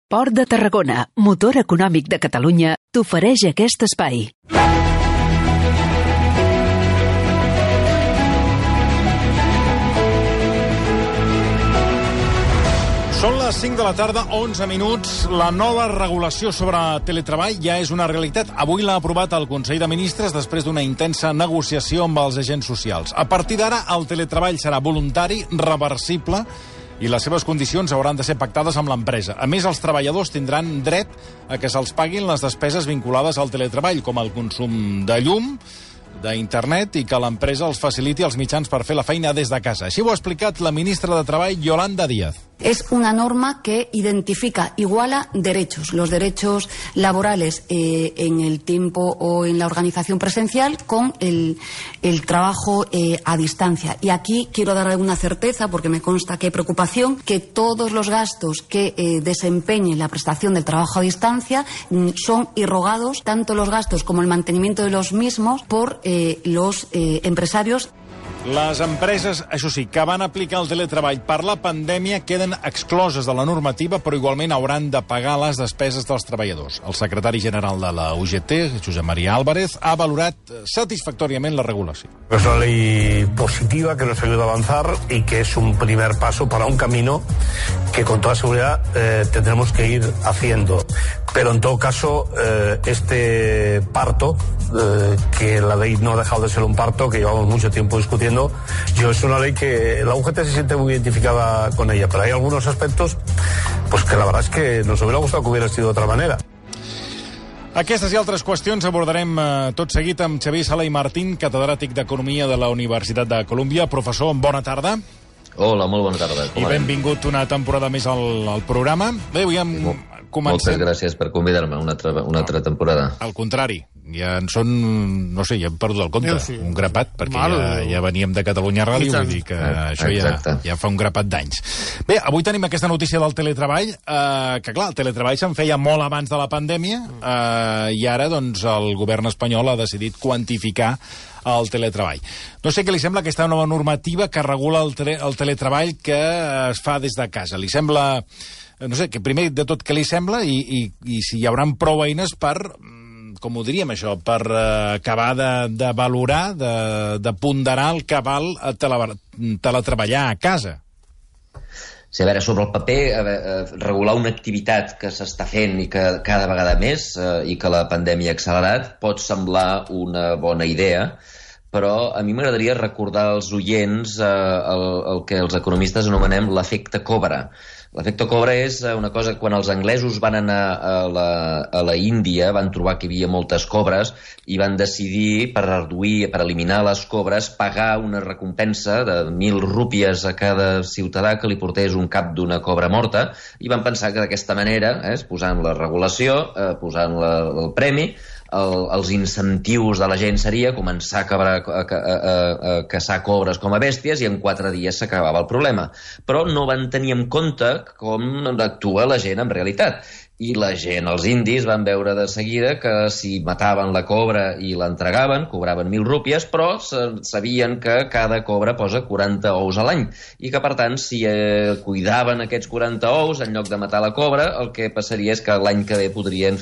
Port de Tarragona, motor econòmic de Catalunya, t'ofereix aquest espai. Són les 5 de la tarda, 11 minuts. La nova regulació sobre teletreball ja és una realitat. Avui l'ha aprovat el Consell de Ministres després d'una intensa negociació amb els agents socials. A partir d'ara, el teletreball serà voluntari, reversible, i les seves condicions hauran de ser pactades amb l'empresa. A més, els treballadors tindran dret a que se'ls paguin les despeses vinculades al teletreball, com el consum de llum, d'internet, i que l'empresa els faciliti els mitjans per fer la feina des de casa. Així ho ha explicat la ministra de Treball, Yolanda Díaz. Es una norma que identifica, iguala derechos, los derechos laborales en el tiempo o en la organización presencial con el trabajo a distancia. Y aquí quiero dar alguna certeza, porque me consta que hay preocupación, que todos los gastos que desempeñe la prestación del trabajo a distancia son irrogados, tanto los gastos como el mantenimiento de los mismos, por los empresarios. Les empreses, això sí, que van aplicar el teletreball per la pandèmia queden excloses de la normativa, però igualment hauran de pagar les despeses dels treballadors. El secretari general de la UGT, Josep María Álvarez, ha valorat satisfactòriament la regulació. Es una ley positiva que nos ayuda a avanzar y que es un primer paso para un camino que con toda seguridad tendremos que ir haciendo. Pero en todo caso, este parto, que la ley no ha dejado de ser un parto, que llevamos mucho tiempo discutiendo, es una ley que la UGT se siente muy identificada con ella, pero hay algunos aspectos pues que la verdad es que nos hubiera gustado que hubiera sido de otra manera. Aquestes i altres qüestions abordarem tot seguit amb Xavier Sala i Martín, catedràtic d'Economia de la Universitat de Colúmbia. Professor, bona tarda. Hola, molt bona tarda. I benvingut una temporada més al programa. Bé, avui comencem... Moltes gràcies per convidar-me una altra temporada. Al contrari, ja en són, no sé, ja hem perdut el compte, sí. Un grapat, perquè ja veníem de Catalunya Ràdio, vull dir que això ja fa un grapat d'anys. Bé, avui tenim aquesta notícia del teletreball, que clar, el teletreball se'n feia molt abans de la pandèmia, i ara, doncs, el govern espanyol ha decidit quantificar el teletreball. No sé què li sembla aquesta nova normativa que regula el teletreball que es fa des de casa. Li sembla... No sé, que primer de tot què li sembla i si hi haurà prou eines per, com ho diríem això, per acabar de valorar, de ponderar el que val teletreballar a casa. Sí, a veure, sobre el paper, regular una activitat que s'està fent i que cada vegada més, i que la pandèmia ha accelerat, pot semblar una bona idea, però a mi m'agradaria recordar als oients el que els economistes anomenem l'efecte Cobra. L'efecte Cobra és una cosa, quan els anglesos van anar a la Índia, van trobar que hi havia moltes cobres i van decidir, per eliminar les cobres, pagar una recompensa de 1.000 rúpies a cada ciutadà que li portés un cap d'una cobra morta, i van pensar que d'aquesta manera, posant la regulació, posant el premi, els incentius de la gent seria començar a caçar cobres com a bèsties i en 4 dies s'acabava el problema. Però no van tenir en compte com actua la gent en realitat. I la gent, els indis, van veure de seguida que si mataven la cobra i l'entregaven, cobraven 1.000 rúpies, però sabien que cada cobra posa 40 ous a l'any. I que, per tant, si cuidaven aquests 40 ous, en lloc de matar la cobra, el que passaria és que l'any que ve podrien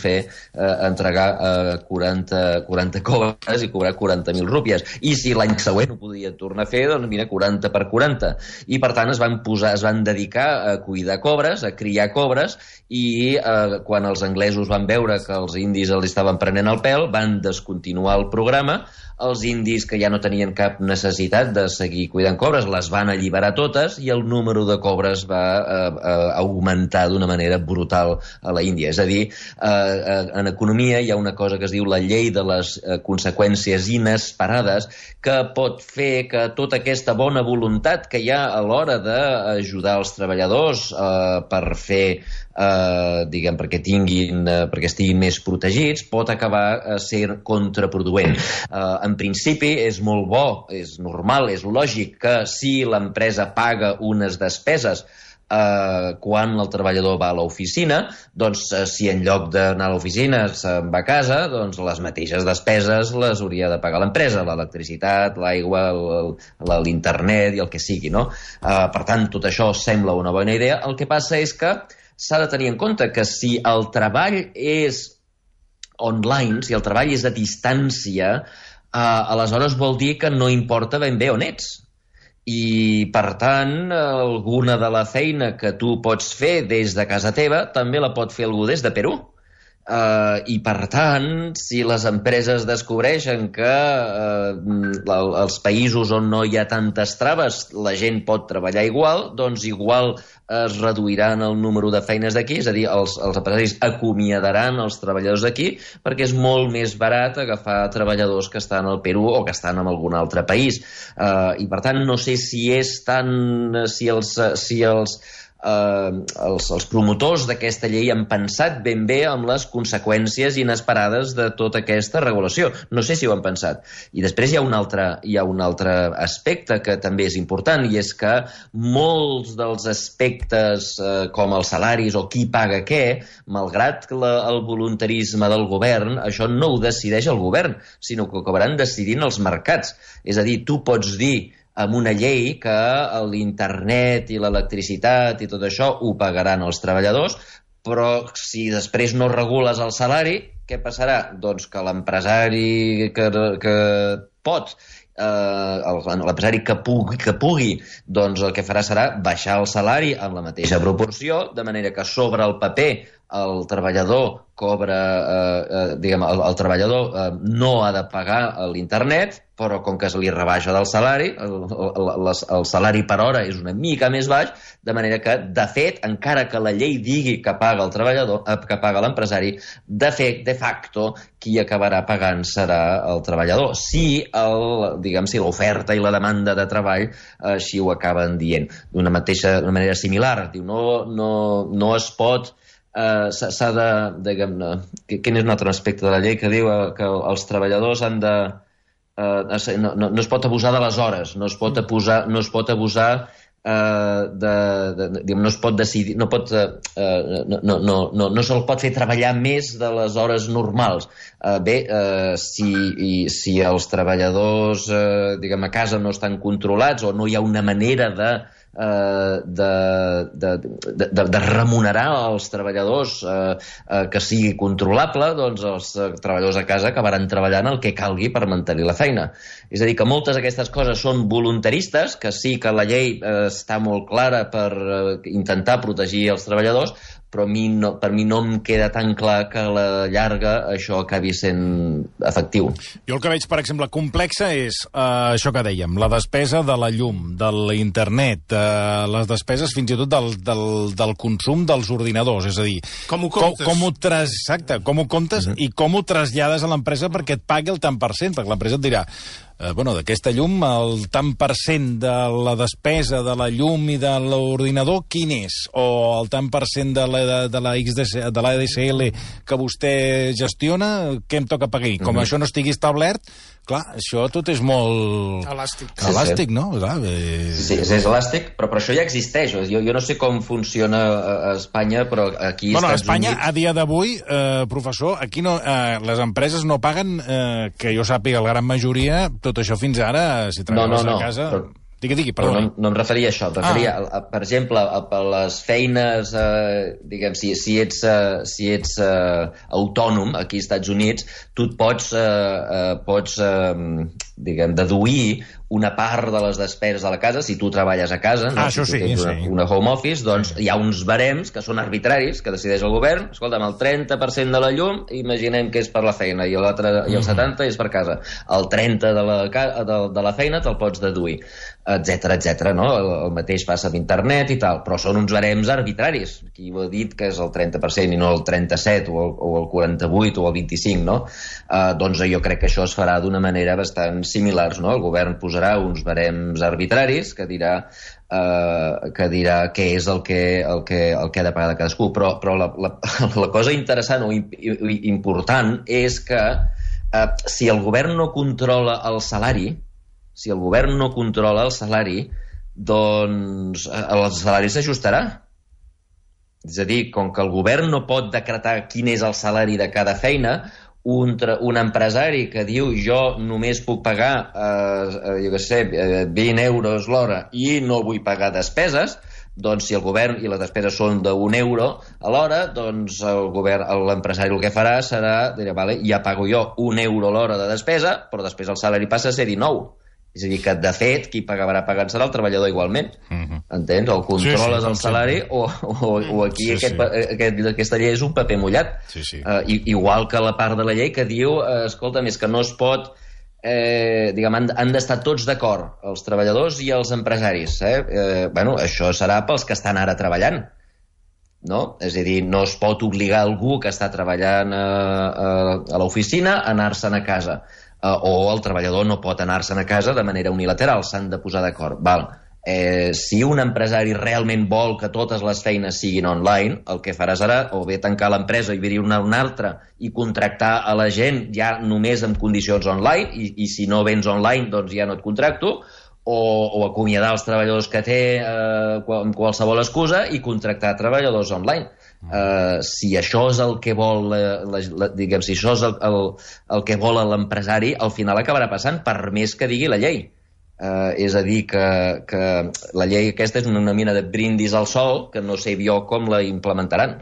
entregar 40 cobres i cobrar 40.000 rúpies. I si l'any següent ho podien tornar a fer, doncs mira, 40 per 40. I, per tant, es van dedicar a cuidar cobres, a criar cobres, i quan els anglesos van veure que els indis els estaven prenent el pèl, van descontinuar el programa. Els indis, que ja no tenien cap necessitat de seguir cuidant cobres, les van alliberar totes i el número de cobres va augmentar d'una manera brutal a la Índia. És a dir, en economia hi ha una cosa que es diu la llei de les conseqüències inesperades, que pot fer que tota aquesta bona voluntat que hi ha a l'hora d'ajudar els treballadors per fer perquè estiguin més protegits, pot acabar sent contraproduent. En principi és molt bo, és normal, és lògic que si l'empresa paga unes despeses quan el treballador va a l'oficina, doncs si en lloc d'anar a l'oficina se'n va a casa, doncs les mateixes despeses les hauria de pagar l'empresa, l'electricitat, l'aigua, l'internet i el que sigui, no? Per tant, tot això sembla una bona idea. El que passa és que s'ha de tenir en compte que si el treball és online, si el treball és a distància, aleshores vol dir que no importa ben bé on ets. I, per tant, alguna de la feina que tu pots fer des de casa teva també la pot fer algú des de Perú. I, per tant, si les empreses descobreixen que els països on no hi ha tantes traves la gent pot treballar igual, doncs igual es reduiran el número de feines d'aquí, és a dir, els empresaris acomiadaran els treballadors d'aquí perquè és molt més barat agafar treballadors que estan al Perú o que estan en algun altre país. I, per tant, no sé si és tant... si els promotors d'aquesta llei han pensat ben bé amb les conseqüències inesperades de tota aquesta regulació. No sé si ho han pensat. I després hi ha un altre aspecte que també és important, i és que molts dels aspectes com els salaris o qui paga què, malgrat el voluntarisme del govern, això no ho decideix el govern, sinó que ho acabaran decidint els mercats. És a dir, tu pots dir amb una llei que l'internet i l'electricitat i tot això ho pagaran els treballadors, però si després no regules el salari, què passarà? Doncs que l'empresari que pot, l'empresari que pugui, doncs el que farà serà baixar el salari en la mateixa proporció, de manera que sobre el paper el treballador cobra, el treballador no ha de pagar l'internet, però com que se li rebaixa del salari, el salari per hora és una mica més baix, de manera que, de fet, encara que la llei digui que paga el treballador, que paga l'empresari, de fet, de facto, qui acabarà pagant serà el treballador. Si l'oferta i la demanda de treball així ho acaben dient. D'una manera similar, diu, no es pot... s'ha de, diguem-ne, quin és un altre aspecte de la llei que diu que els treballadors han de... no es pot abusar de les hores, no es pot abusar no es pot decidir, no se'l pot fer treballar més de les hores normals. Si els treballadors a casa no estan controlats o no hi ha una manera de remunerar els treballadors que sigui controlable, doncs els treballadors a casa acabaran treballant el que calgui per mantenir la feina. És a dir, que moltes d'aquestes coses són voluntaristes, que sí que la llei està molt clara per intentar protegir els treballadors, però per mi no em queda tan clar que a la llarga això acabi sent efectiu. Jo el que veig, per exemple, complexa és això que dèiem, la despesa de la llum, de l'internet, les despeses fins i tot del consum dels ordinadors, és a dir... Com ho comptes? Exacte, com ho comptes i com ho trasllades a l'empresa perquè et pagui el tant per cent, perquè l'empresa et dirà d'aquesta llum, el tant per cent de la despesa de la llum i de l'ordinador, quin és? O el tant per cent de l'ADSL que vostè gestiona, què em toca pagar? Com això no estigui establert, clar, això tot és molt... Elàstic, no? Sí, és elàstic, però això ja existeix. Jo no sé com funciona a Espanya, però aquí... Bueno, a Espanya, a dia d'avui, professor, aquí les empreses no paguen, que jo sàpiga, la gran majoria, tot això fins ara, si treballes a casa... Digui, perdó. No em referia a això, em referia, per exemple, a les feines, diguem, si ets autònom aquí als Estats Units, tu et pots deduir una part de les despeses de la casa, si tu treballes a casa, si tu tens una home office, doncs hi ha uns barems que són arbitraris, que decideix el govern. Escolta'm, el 30% de la llum, imaginem que és per la feina, i el 70% és per casa. El 30% de la feina te'l pots deduir, etcètera, no? El mateix passa amb internet i tal, però són uns barems arbitraris. Qui ho ha dit que és el 30% i no el 37% o el 48% o el 25%, no? Doncs jo crec que això es farà d'una manera bastant similars, no? El govern posarà uns barems arbitraris que dirà què és el que ha de pagar de cadascú, però la cosa interessant o important és que si el govern no controla el salari, doncs el salari s'ajustarà. És a dir, com que el govern no pot decretar quin és el salari de cada feina, un empresari que diu jo només puc pagar, jo què sé, 20 euros l'hora i no vull pagar despeses, doncs si el govern i les despeses són d'1 euro a l'hora, doncs l'empresari el que farà serà, dirà, vale, ja pago jo 1 euro l'hora de despesa, però després el salari passa a ser 19. És a dir, que de fet qui pagarà pagant serà el treballador igualment. Entens? O controles el salari o aquí aquesta llei és un paper mullat. Igual que la part de la llei que diu, escolta, més que no es pot, han d'estar tots d'acord, els treballadors i els empresaris. Bueno, això serà pels que estan ara treballant. No? És a dir, no es pot obligar algú que està treballant a l'oficina a anar-se'n a casa. O el treballador no pot anar-se'n a casa de manera unilateral, s'han de posar d'acord. Si un empresari realment vol que totes les feines siguin online, el que farà serà o bé tancar l'empresa i obrir una altra i contractar a la gent ja només en condicions online, i si no vens online doncs ja no et contracto, o acomiadar els treballadors que té amb qualsevol excusa i contractar treballadors online. Si això és el que vol si això és el que vol l'empresari, al final acabarà passant, per més que digui la llei. És a dir, que la llei aquesta és una mena de brindis al sol que no sé jo com la implementaran.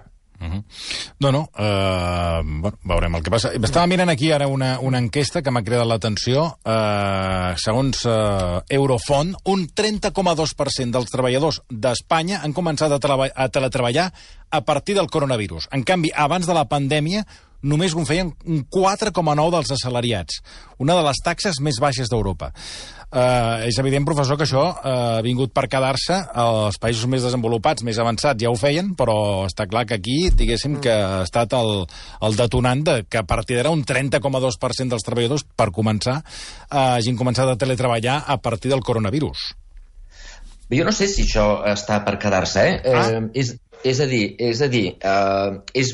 Bueno, veurem el que passa. Estava mirant aquí ara una enquesta que m'ha cridat l'atenció. Segons Eurofont, un 30,2% dels treballadors d'Espanya han començat a teletreballar a partir del coronavirus. En canvi, abans de la pandèmia, només ho feien un 4,9% dels assalariats, una de les taxes més baixes d'Europa. És evident, professor, que això ha vingut per quedar-se. Els països més desenvolupats, més avançats, ja ho feien, però està clar que aquí, diguéssim, que ha estat el detonant de que a partir d'ara un 30,2% dels treballadors, per començar, hagin començat a teletreballar a partir del coronavirus. Jo no sé si això està per quedar-se, És a dir, és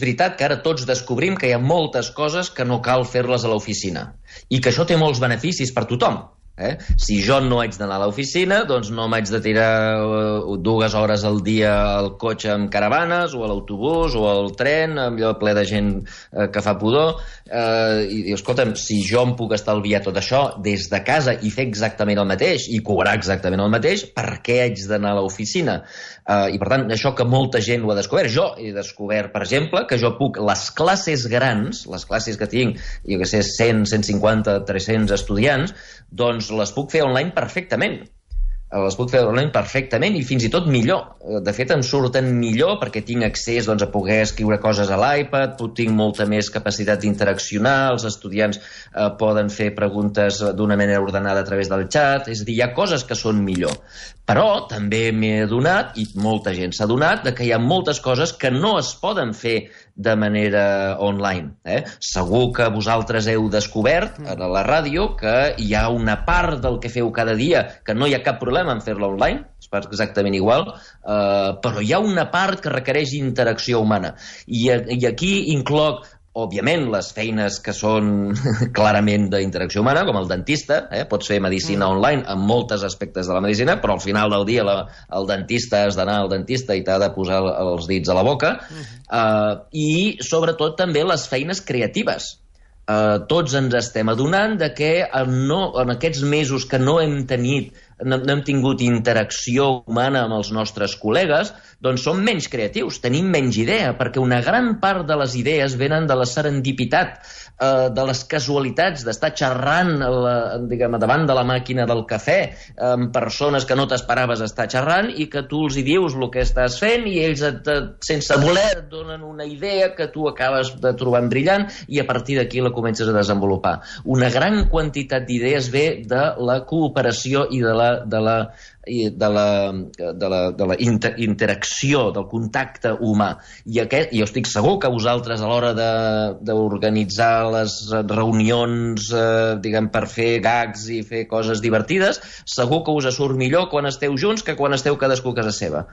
veritat que ara tots descobrim que hi ha moltes coses que no cal fer-les a l'oficina i que això té molts beneficis per tothom. Si jo no haig d'anar a l'oficina, doncs no m'haig de tirar 2 hores al dia al cotxe amb caravanes, o a l'autobús, o al tren, amb allò ple de gent que fa pudor. I escolta'm, si jo em puc estalviar tot això des de casa i fer exactament el mateix, i cobrar exactament el mateix, per què haig d'anar a l'oficina? I per tant, això que molta gent ho ha descobert. Jo he descobert, per exemple, que jo puc, les classes grans, les classes que tinc, jo què sé, 100, 150, 300 estudiants, doncs les puc fer online perfectament. I fins i tot millor. De fet, em surten millor perquè tinc accés a poder escriure coses a l'iPad, tinc molta més capacitat d'interaccionar, els estudiants poden fer preguntes d'una manera ordenada a través del xat, és a dir, hi ha coses que són millor. Però també m'he adonat, i molta gent s'ha adonat, que hi ha moltes coses que no es poden fer de manera online. Segur que vosaltres heu descobert a la ràdio que hi ha una part del que feu cada dia que no hi ha cap problema en fer-la online, és exactament igual, però hi ha una part que requereix interacció humana. I aquí incloc, òbviament, les feines que són clarament d'interacció humana, com el dentista. Pots fer medicina online en molts aspectes de la medicina, però al final del dia el dentista has d'anar al dentista i t'ha de posar els dits a la boca. I, sobretot, també les feines creatives. Tots ens estem adonant que en aquests mesos que no hem tingut interacció humana amb els nostres col·legues, doncs som menys creatius, tenim menys idea, perquè una gran part de les idees venen de la serendipitat, de les casualitats, d'estar xerrant davant de la màquina del cafè amb persones que no t'esperaves estar xerrant i que tu els hi dius el que estàs fent i ells, sense voler, et donen una idea que tu acabes de trobar brillant i a partir d'aquí la comences a desenvolupar. Una gran quantitat d'idees ve de la cooperació i de la interacció, del contacte humà. I jo estic segur que vosaltres a l'hora d'organitzar les reunions per fer gags i fer coses divertides, segur que us surt millor quan esteu junts que quan esteu cadascú a casa seva.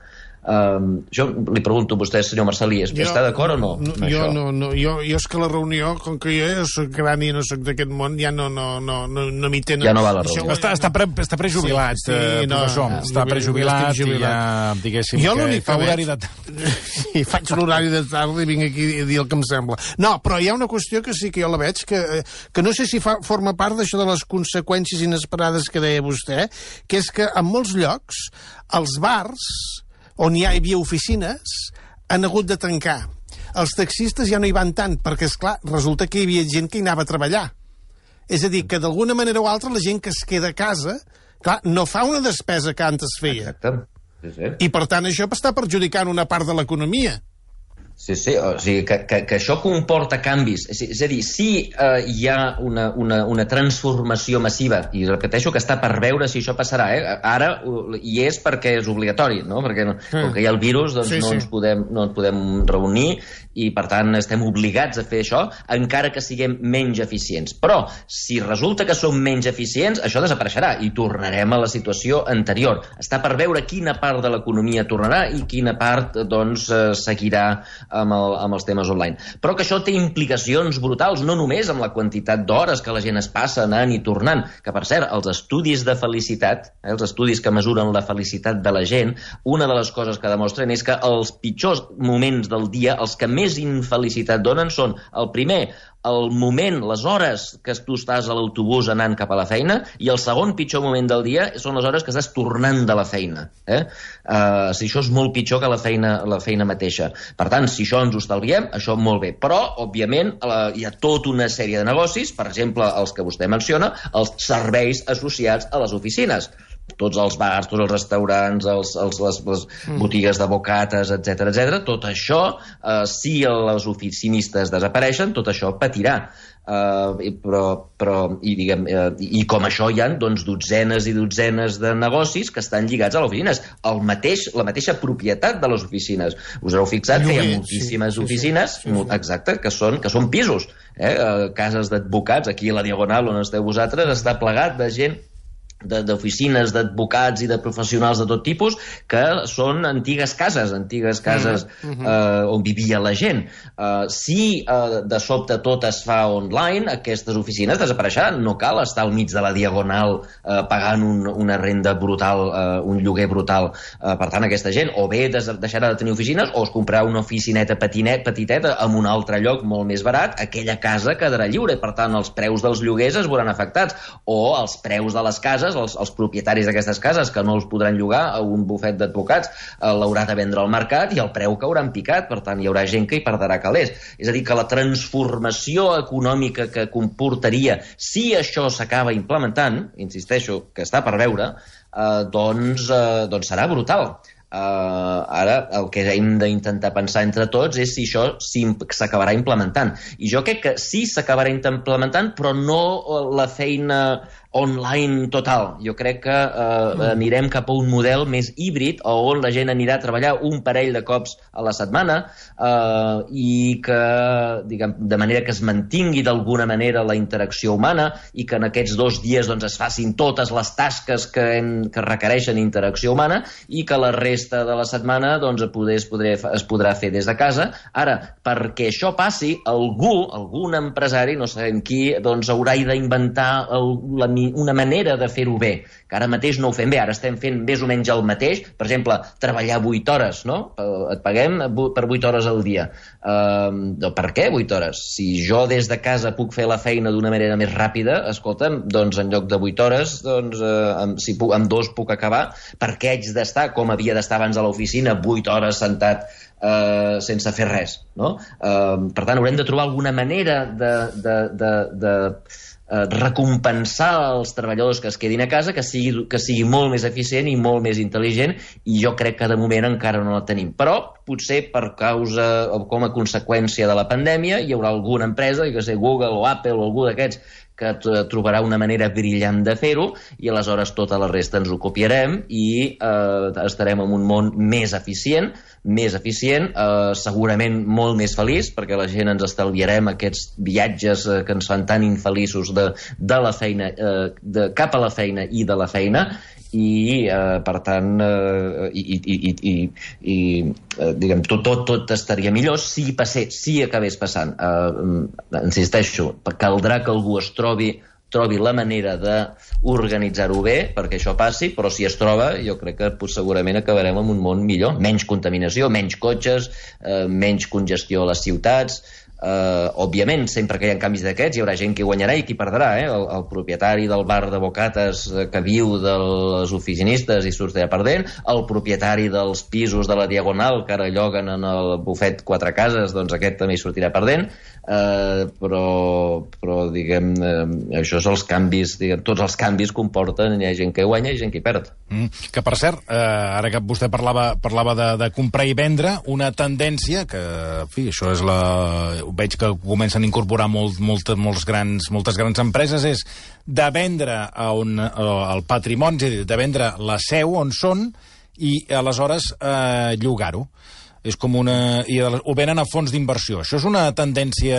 Jo li pregunto a vostè, senyor Marcelí, està d'acord o no? Jo no, jo és que la reunió, com que jo soc gran i no soc d'aquest món, ja no m'hi tenen. Ja no va a la reunió. Està prejubilat, professor. Està prejubilat i ja, diguéssim, que fa horari de tarda. I faig l'horari de tarda i vinc aquí a dir el que em sembla. No, però hi ha una qüestió que sí que jo la veig, que no sé si forma part d'això de les conseqüències inesperades que deia vostè, que és que en molts llocs els bars on hi havia oficines han hagut de tancar. Els taxistes ja no hi van tant, perquè, esclar, resulta que hi havia gent que hi anava a treballar. És a dir, que d'alguna manera o altra la gent que es queda a casa, clar, no fa una despesa que antes feia. Exacte. Sí. I, per tant, això està perjudicant una part de l'economia. Sí, o sigui, que això comporta canvis. És a dir, si hi ha una transformació massiva, i repeteixo que està per veure si això passarà, ara hi és perquè és obligatori, no? Perquè com que hi ha el virus, doncs no ens podem reunir i, per tant, estem obligats a fer això, encara que siguem menys eficients. Però, si resulta que som menys eficients, això desapareixerà i tornarem a la situació anterior. Està per veure quina part de l'economia tornarà i quina part, doncs, seguirà amb els temes online. Però que això té implicacions brutals, no només amb la quantitat d'hores que la gent es passa anant i tornant, que, per cert, els estudis de felicitat, els estudis que mesuren la felicitat de la gent, una de les coses que demostren és que els pitjors moments del dia, els que més infelicitat donen, són el primer, el moment, les hores que tu estàs a l'autobús anant cap a la feina, i el segon pitjor moment del dia són les hores que estàs tornant de la feina. Si això és molt pitjor que la feina mateixa. Per tant, si això ens ho estalviem, això molt bé. Però, òbviament, hi ha tota una sèrie de negocis, per exemple, els que vostè menciona, els serveis associats a les oficines. Tots els bars, tots els restaurants, les botigues de bocates, etc. Tot això, si les oficinistes desapareixen, tot això patirà. I com això hi ha, doncs, dotzenes i dotzenes de negocis que estan lligats a les oficines. La mateixa propietat de les oficines. Us heu fixat que hi ha moltíssimes oficines, exacte, que són pisos. Cases d'advocats, aquí a la Diagonal on esteu vosaltres, està plegat de gent, d'oficines d'advocats i de professionals de tot tipus, que són antigues cases on vivia la gent. Si de sobte tot es fa online, aquestes oficines desapareixeran. No cal estar al mig de la Diagonal pagant una renda brutal, un lloguer brutal. Per tant, aquesta gent o bé deixarà de tenir oficines o es comprarà una oficineta petiteta en un altre lloc molt més barat. Aquella casa quedarà lliure, per tant els preus dels lloguers es veuran afectats, o els preus de les cases, els propietaris d'aquestes cases que no els podran llogar a un bufet d'advocats l'haurà de vendre al mercat i el preu caurà en picat, per tant hi haurà gent que hi perdrà calés. És a dir, que la transformació econòmica que comportaria si això s'acaba implementant, insisteixo que està per veure, doncs serà brutal. Ara el que hem d'intentar pensar entre tots és si això s'acabarà implementant, i jo crec que sí s'acabarà implementant, però no la feina online total. Jo crec que anirem cap a un model més híbrid, on la gent anirà a treballar un parell de cops a la setmana i que, diguem, de manera que es mantingui d'alguna manera la interacció humana i que en aquests 2 dies doncs, es facin totes les tasques que requereixen interacció humana i que la resta de la setmana doncs, es podrà fer des de casa. Ara, perquè això passi, algun empresari, no sabem qui, doncs haurà d'inventar una manera de fer-ho bé, que ara mateix no ho fem bé, ara estem fent més o menys el mateix. Per exemple, treballar 8 hores, no? Et paguem per 8 hores al dia. Per què 8 hores? Si jo des de casa puc fer la feina d'una manera més ràpida, escolta'm, doncs en lloc de 8 hores, doncs amb 2 puc acabar. Per què haig d'estar, com havia d'estar abans a l'oficina, 8 hores sentat sense fer res, no? Per tant, haurem de trobar alguna manera de recompensar els treballadors que es quedin a casa, que sigui molt més eficient i molt més intel·ligent, i jo crec que de moment encara no la tenim. Però potser per causa o com a conseqüència de la pandèmia hi haurà alguna empresa, que sé, Google o Apple o algú d'aquests, que trobarà una manera brillant de fer-ho, i aleshores tota la resta ens ho copiarem i estarem en un món més eficient, segurament molt més feliç, perquè la gent ens estalviarem aquests viatges que ens fan tan infeliços de la feina, cap a la feina i de la feina, i per tant diguem, tot estaria millor si acabés passant. Insisteixo, caldrà que algú trobi la manera d'organitzar-ho bé perquè això passi, però si es troba jo crec que segurament acabarem en un món millor, menys contaminació, menys cotxes, menys congestió a les ciutats. Òbviament, sempre que hi ha canvis d'aquests hi haurà gent que guanyarà i qui perdrà, el propietari del bar de bocates que viu dels oficinistes i sortirà perdent, el propietari dels pisos de la Diagonal que ara lloguen en el bufet Quatre Cases, doncs aquest també hi sortirà perdent, però diguem, això és els canvis, diguem, tots els canvis comporten, hi ha gent que guanya i gent que hi perd. Que per cert, ara que vostè parlava de comprar i vendre, una tendència que, en fi, això és veig que comencen a incorporar moltes grans empreses, és de vendre el patrimoni, és a dir, de vendre la seu on són i aleshores llogar-ho. És com ho venen a fons d'inversió. Això és una tendència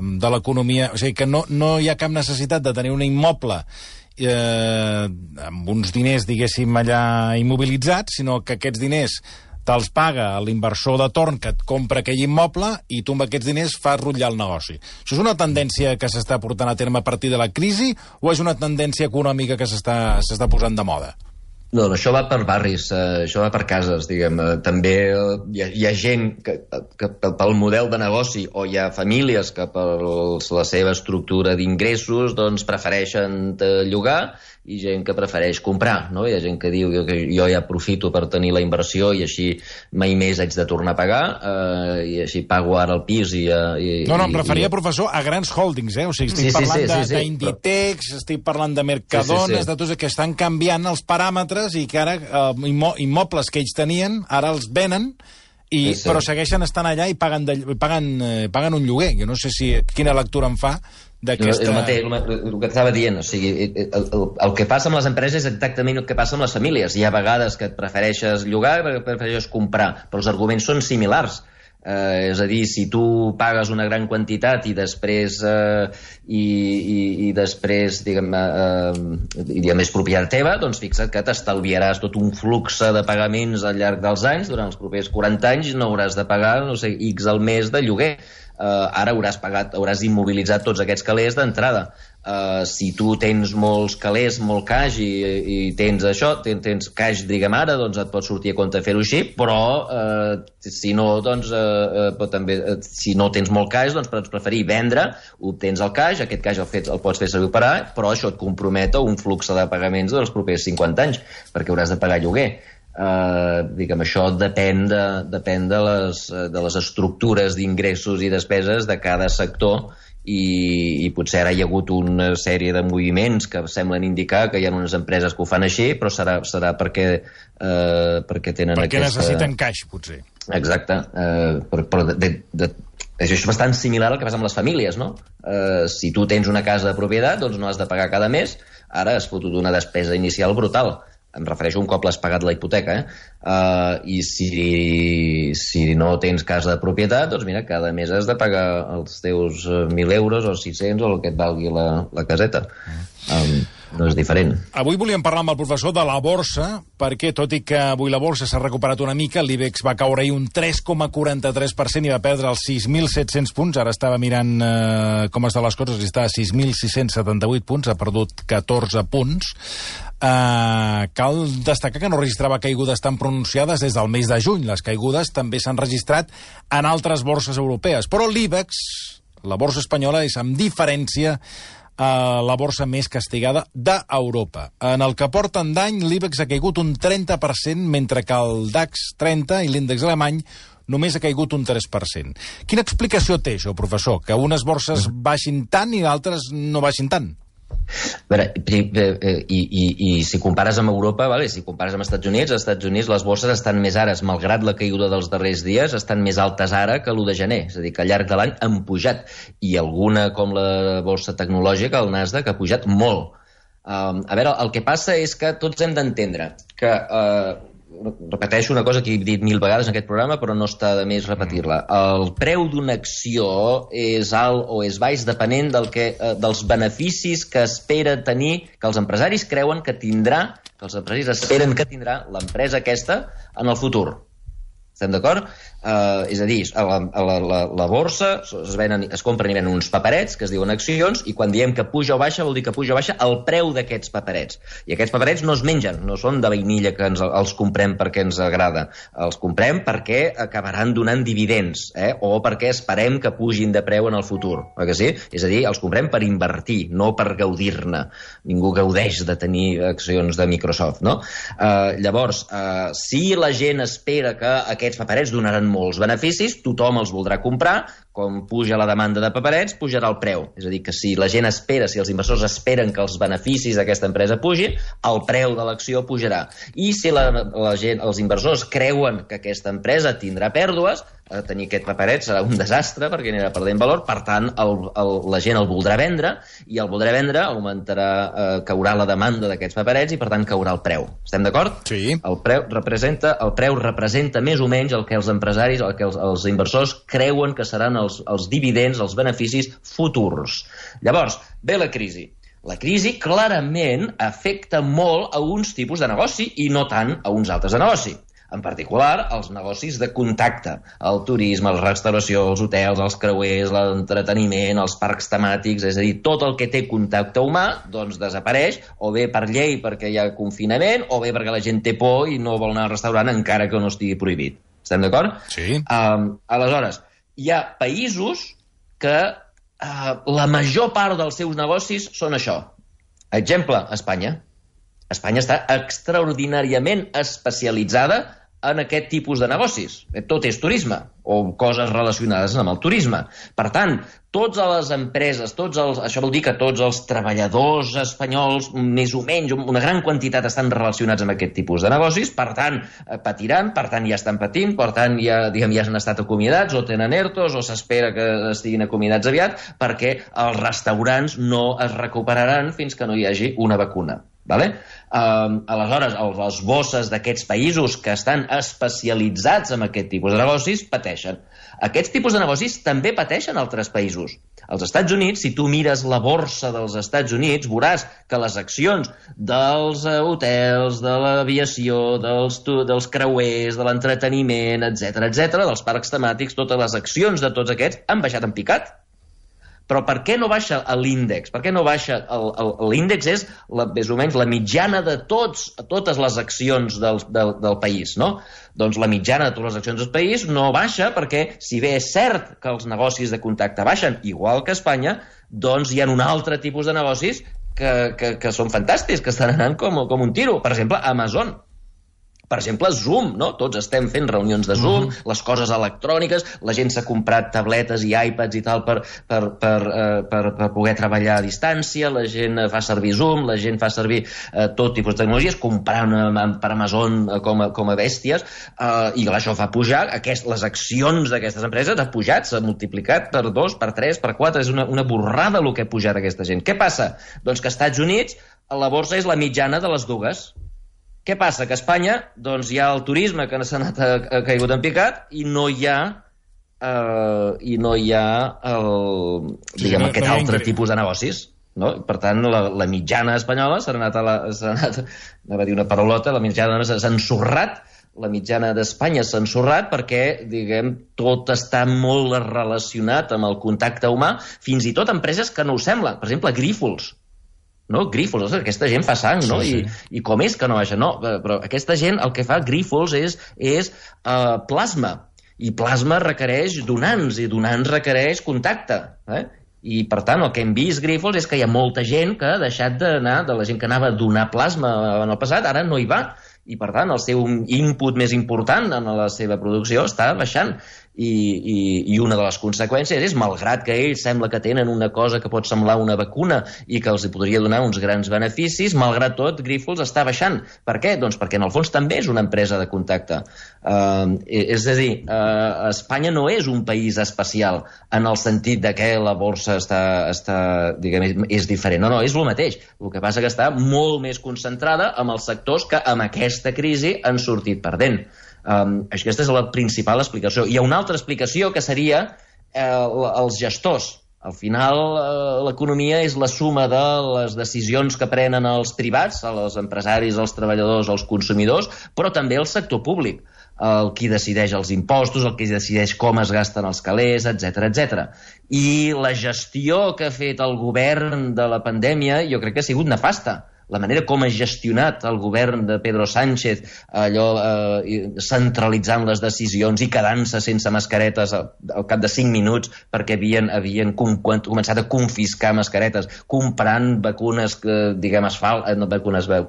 de l'economia, o sigui que no hi ha cap necessitat de tenir un immoble amb uns diners, diguéssim, allà immobilitzats, sinó que aquests diners te'ls paga l'inversor de torn que et compra aquell immoble i tu amb aquests diners fas rutllar el negoci. Això és una tendència que s'està portant a terme a partir de la crisi o és una tendència econòmica que s'està posant de moda? No, això va per barris, això va per cases, diguem. També hi ha gent que pel model de negoci o hi ha famílies que per la seva estructura d'ingressos doncs prefereixen llogar i gent que prefereix comprar, no? Hi ha gent que diu que jo ja aprofito per tenir la inversió i així mai més haig de tornar a pagar i així pago ara el pis No, em referia, professor, a grans holdings, O sigui, estic parlant d'Inditex, estic parlant de Mercadones, de tots que estan canviant els paràmetres i que ara immobles que ells tenien, ara els venen però segueixen estant allà i paguen un lloguer. Jo no sé quina lectura em fa d'aquesta... El que estava dient, o sigui, el que passa amb les empreses és exactament el que passa amb les famílies. Hi ha vegades que et prefereixes llogar i prefereixes comprar, però els arguments són similars. És a dir, si tu pagues una gran quantitat i després diguem, és propietat teva, doncs fixa't que t'estalviaràs tot un flux de pagaments al llarg dels anys, durant els propers 40 anys no hauràs de pagar, no sé, X al mes de lloguer. Ara hauràs immobilitzat tots aquests calés d'entrada. Si tu tens molts calés, molt caix i tens això, tens caix, diguem ara, doncs et pot sortir a compte fer-ho així, però si no, doncs també, si no tens molt caix, doncs pots preferir vendre, obtens el caix, aquest caix el pots fer servir per ara, però això et compromet a un flux de pagaments dels propers 50 anys, perquè hauràs de pagar lloguer. Diguem, això depèn de les estructures d'ingressos i despeses de cada sector i potser ara hi ha hagut una sèrie de moviments que semblen indicar que hi ha unes empreses que ho fan així, però serà perquè tenen perquè necessiten caix, potser. Exacte, però això és bastant similar al que passa amb les famílies, no? Si tu tens una casa de propietat, doncs no has de pagar cada mes, ara has fotut una despesa inicial brutal. Em refereixo un cop l'has pagat la hipoteca, i si no tens casa de propietat, doncs mira, cada mes has de pagar els teus 1.000 euros o 600 o el que et valgui la caseta. No és diferent. Avui volíem parlar amb el professor de la borsa, perquè tot i que avui la borsa s'ha recuperat una mica, l'IBEX va caure ahir un 3,43% i va perdre els 6.700 punts. Ara estava mirant com estan les coses i està a 6.678 punts, ha perdut 14 punts. Cal destacar que no registrava caigudes tan pronunciades des del mes de juny. Les caigudes també s'han registrat en altres borses europees, però l'IBEX, la borsa espanyola, és amb diferència la borsa més castigada d'Europa. En el que porten d'any, l'IBEX ha caigut un 30%, mentre que el DAX 30 i l'índex alemany només ha caigut un 3%. Quina explicació té això, professor? Que unes borses baixin tant i d'altres no baixin tant? A veure, i si compares amb Europa, si compares amb Estats Units les borses estan més ara, malgrat la caiguda dels darrers dies, estan més altes ara que l'1 de gener, és a dir, que al llarg de l'any han pujat, i alguna com la borsa tecnològica, el Nasdaq, ha pujat molt. A veure, el que passa és que tots hem d'entendre que repeteixo una cosa que he dit 1000 vegades en aquest programa, però no està de més repetir-la. El preu d'una acció és alt o és baix depenent dels beneficis que espera tenir, que els empresaris creuen que tindrà que els empresaris esperen que tindrà l'empresa aquesta en el futur. Estem d'acord? És a dir, a la borsa es compren i venen uns paperets que es diuen accions, i quan diem que puja o baixa vol dir que puja o baixa el preu d'aquests paperets. I aquests paperets no es mengen, no són de vainilla que els comprem perquè ens agrada. Els comprem perquè acabaran donant dividends, o perquè esperem que pugin de preu en el futur. Que sí? És a dir, els comprem per invertir, no per gaudir-ne. Ningú gaudeix de tenir accions de Microsoft, no? Llavors, si la gent espera que aquests paperets donaran molts beneficis, tothom els voldrà comprar, com puja la demanda de paperets, pujarà el preu. És a dir, que si la gent espera, si els inversors esperen que els beneficis d'aquesta empresa pugin, el preu de l'acció pujarà. I si els inversors creuen que aquesta empresa tindrà pèrdues, tenir aquest paperet serà un desastre perquè anirà perdent valor, per tant la gent el voldrà vendre, i el voldrà vendre caurà la demanda d'aquests paperets i per tant caurà el preu. Estem d'acord? Sí. El preu representa més o menys el que els empresaris, el que els inversors creuen que seran els dividends, els beneficis futurs. Llavors, ve la crisi. La crisi clarament afecta molt a uns tipus de negoci i no tant a uns altres de negoci. En particular, els negocis de contacte, el turisme, la restauració, els hotels, els creuers, l'entreteniment, els parcs temàtics, és a dir, tot el que té contacte humà, doncs desapareix, o bé per llei perquè hi ha confinament, o bé perquè la gent té por i no vol anar al restaurant encara que no estigui prohibit. Estem d'acord? Sí. Aleshores, hi ha països que la major part dels seus negocis són això. Exemple, Espanya. Espanya està extraordinàriament especialitzada en aquest tipus de negocis. Tot és turisme, o coses relacionades amb el turisme. Per tant, totes les empreses, això vol dir que tots els treballadors espanyols, més o menys, una gran quantitat estan relacionats amb aquest tipus de negocis, per tant, patiran, per tant, ja estan patint, per tant, ja han estat acomiadats, o tenen ERTOs, o s'espera que estiguin acomiadats aviat, perquè els restaurants no es recuperaran fins que no hi hagi una vacuna. Aleshores, les bosses d'aquests països que estan especialitzats en aquest tipus de negocis pateixen. Aquests tipus de negocis també pateixen altres països. Als Estats Units, si tu mires la borsa dels Estats Units, veuràs que les accions dels hotels, de l'aviació, dels creuers, de l'entreteniment, etc., dels parcs temàtics, totes les accions de tots aquests han baixat en picat. Però per què no baixa l'índex? Per què no baixa l'índex? És més o menys la mitjana de totes les accions del país, no? Doncs la mitjana de totes les accions del país no baixa perquè, si bé és cert que els negocis de contacte baixen, igual que a Espanya, doncs hi ha un altre tipus de negocis que són fantàstics, que estan anant com un tiro. Per exemple, Amazon. Per exemple, Zoom, no? Tots estem fent reunions de Zoom, les coses electròniques, la gent s'ha comprat tabletes i iPads i tal per poder treballar a distància, la gent fa servir Zoom, la gent fa servir tot tipus de tecnologies, comprant per Amazon com a bèsties, i això fa pujar, les accions d'aquestes empreses han pujat, s'ha multiplicat per 2, per 3, per 4, és una borrada el que ha pujat aquesta gent. Què passa? Doncs que als Estats Units la borsa és la mitjana de les dues. Què passa? Que a Espanya doncs, hi ha el turisme que ha caigut en picat i no hi ha aquest altre tipus de negocis. No? Per tant, la mitjana espanyola s'ha anat anava a dir una paraulota, la mitjana s'ha ensorrat, la mitjana d'Espanya s'ha ensorrat perquè, diguem, tot està molt relacionat amb el contacte humà, fins i tot empreses que no ho sembla. Per exemple, Grífols. No? Grífols, aquesta gent fa sang, no? Sí. I com és que no baixa? No, però aquesta gent el que fa Grífols és plasma, i plasma requereix donants, i donants requereix contacte, i per tant el que hem vist Grífols és que hi ha molta gent que ha deixat d'anar, de la gent que anava a donar plasma en el passat, ara no hi va, i per tant el seu input més important en la seva producció està baixant. I una de les conseqüències és, malgrat que ells sembla que tenen una cosa que pot semblar una vacuna i que els podria donar uns grans beneficis, malgrat tot, Grífols està baixant. Per què? Doncs perquè en el fons també és una empresa de contacte. És a dir, Espanya no és un país especial en el sentit de que la borsa diguem, és diferent. No, és el mateix. El que passa que està molt més concentrada en els sectors que amb aquesta crisi han sortit perdent. Aquesta és la principal explicació. Hi ha una altra explicació que seria els gestors. Al final, l'economia és la suma de les decisions que prenen els privats, els empresaris, els treballadors, els consumidors, però també el sector públic, el qui decideix els impostos, el qui decideix com es gasten els calés, etc. I la gestió que ha fet el govern de la pandèmia jo crec que ha sigut nefasta. La manera com ha gestionat el govern de Pedro Sánchez, centralitzant les decisions i quedant-se sense mascaretes al cap de 5 minuts perquè havien començat a confiscar mascaretes, comprant vacunes,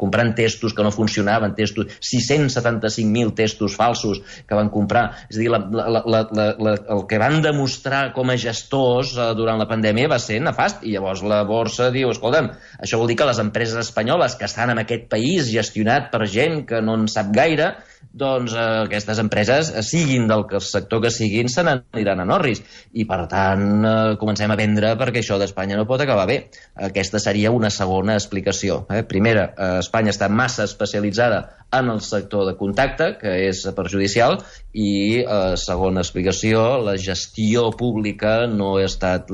comprant testos que no funcionaven, 675.000 testos falsos que van comprar. És a dir, el que van demostrar com a gestors durant la pandèmia va ser nefast, i llavors la borsa diu, escolta'm, això vol dir que les empreses espanyoles que estan en aquest país gestionat per gent que no en sap gaire, doncs aquestes empreses, siguin del sector que siguin, se n'aniran a Norris. I per tant, comencem a vendre perquè això d'Espanya no pot acabar bé. Aquesta seria una segona explicació. Primera, Espanya està massa especialitzada en el sector de contacte, que és perjudicial, i segona explicació, la gestió pública no ha estat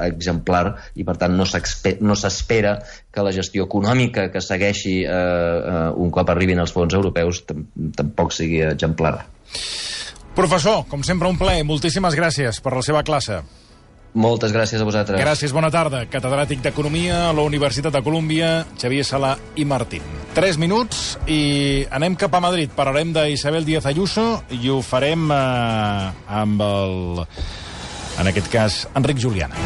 exemplar i per tant no s'espera que la gestió econòmica que segueixi un cop arribin els fons europeus tampoc sigui exemplar. Professor, com sempre un plaer, moltíssimes gràcies per la seva classe. Moltes gràcies a vosaltres. Gràcies, bona tarda. Catedràtic d'Economia a la Universitat de Colúmbia, Xavier Sala i Martín. 3 minuts i anem cap a Madrid. Parlarem d'Isabel Díaz Ayuso i ho farem amb en aquest cas, Enric Juliana.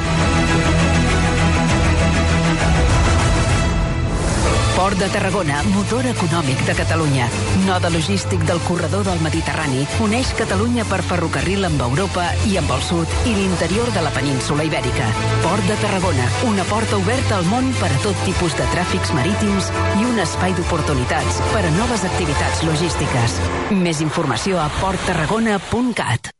Port de Tarragona, motor econòmic de Catalunya. Node logístic del corredor del Mediterrani, uneix Catalunya per ferrocarril amb Europa i amb el sud i l'interior de la península Ibèrica. Port de Tarragona, una porta oberta al món per a tot tipus de tràfics marítims i un espai d'oportunitats per a noves activitats logístiques. Més informació a porttarragona.cat.